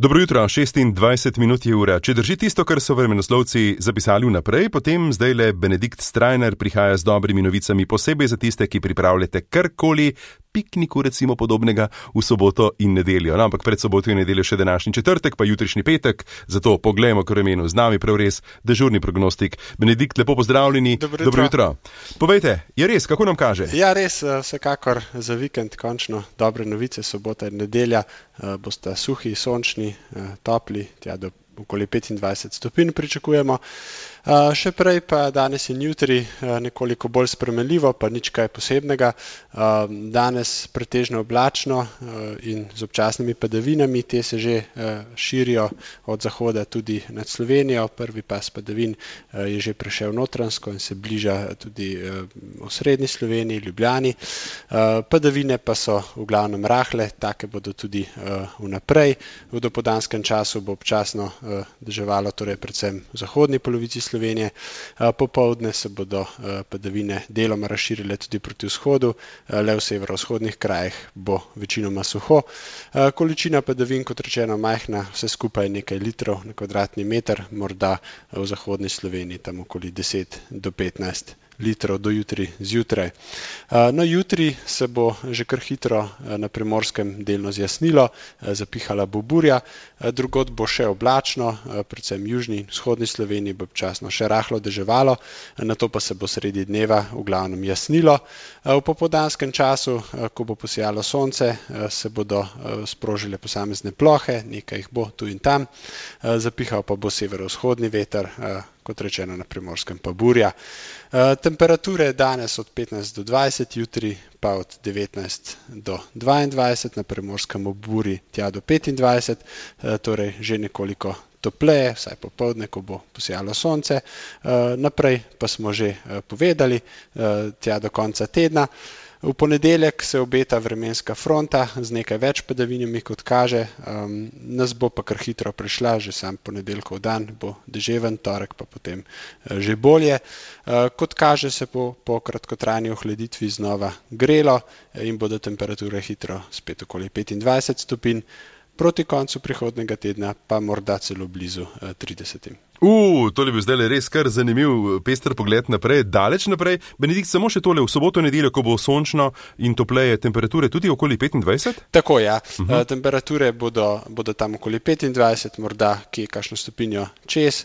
Dobro jutro, 26 minut je ura. Če drži tisto, kar so vremenoslovci zapisali vnaprej, potem zdajle Benedikt Strajnar prihaja z dobrimi novicami, posebej za tiste, ki pripravljate karkoli, pikniku recimo podobnega v soboto in nedeljo. No, ampak pred soboto in nedeljo še današnji četrtek, pa jutrišnji petek, zato poglejmo k vremenu. Z nami prav res dežurni prognostik. Benedikt, lepo pozdravljeni. Dobro jutro. Povejte, je res, kako nam kaže? Ja, res, vsekakor za vikend končno dobre novice, sobota in nedelja bosta suhi, sončni, topli, tja do okoli 25 stopinj pričakujemo. Še prej pa danes in jutri nekoliko bolj spremenljivo, pa nič kaj posebnega. Danes pretežno oblačno in z občasnimi padavinami, te se že širijo od zahoda tudi nad Slovenijo. Prvi pas padavin je že prešel notranjsko in se bliža tudi v srednji Sloveniji, Ljubljani. Padavine pa so v glavnem rahle, take bodo tudi vnaprej. V dopoldanskem času bo občasno deževalo, torej predvsem v zahodni polovici Slovenije. Popoldne se bodo padavine deloma razširile tudi proti vzhodu, le v severovzhodnih krajih bo večinoma suho. Količina padavin, kot rečeno, majhna, vse skupaj nekaj litrov na kvadratni meter, morda v zahodni Sloveniji tam okoli 10 do 15 litrov do jutri zjutraj. No, jutri se bo že kar hitro na Primorskem delno zjasnilo, zapihala bo burja, drugod bo še oblačno, predvsem južni, vzhodni Sloveniji bo občasno še rahlo deževalo, nato pa se bo sredi dneva v glavnem jasnilo. V popoldanskem času, ko bo posijalo sonce, se bodo sprožile posamezne plohe, nekaj jih bo tu in tam, zapihal pa bo severovzhodni veter, kot rečeno na Primorskem pa burja. Temperature danes od 15 do 20, jutri pa od 19 do 22, na Primorskem ob burji tja do 25, torej že nekoliko topleje, vsaj popoldne, ko bo posijalo sonce. Naprej pa smo že povedali, tja do konca tedna. V ponedeljek se obeta vremenska fronta z nekaj več padavinami, kot kaže. Nas bo pa kar hitro prišla, že sam ponedeljkov dan bo deževen, torek pa potem že bolje. Kot kaže, se bo po kratkotrajni ohladitvi znova grelo in bodo temperature hitro spet okoli 25 stopinj. Proti koncu prihodnega tedna pa morda celo blizu 30. To je bil zdaj res kar zanimiv pester pogled naprej, daleč naprej. Benedikt, samo še tole, v soboto in nedeljo, ko bo sončno in topleje, temperature tudi okoli 25? Tako, ja. Temperature bodo tam okoli 25, morda kje kakšno stopinjo čez,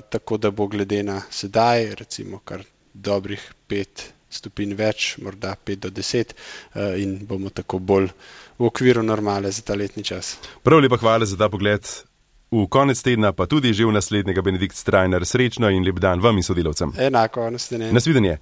tako da bo glede na sedaj, recimo kar dobrih 5 stopinj več, morda 5 do 10 in bomo tako bolj v okviru normale za ta letni čas. Prav lepa hvala za ta pogled v konec tedna, pa tudi že v naslednjega. Benedikt Strajnar, srečno in lep dan vam in sodelavcem. Enako, nasvidenje. Nasvidenje.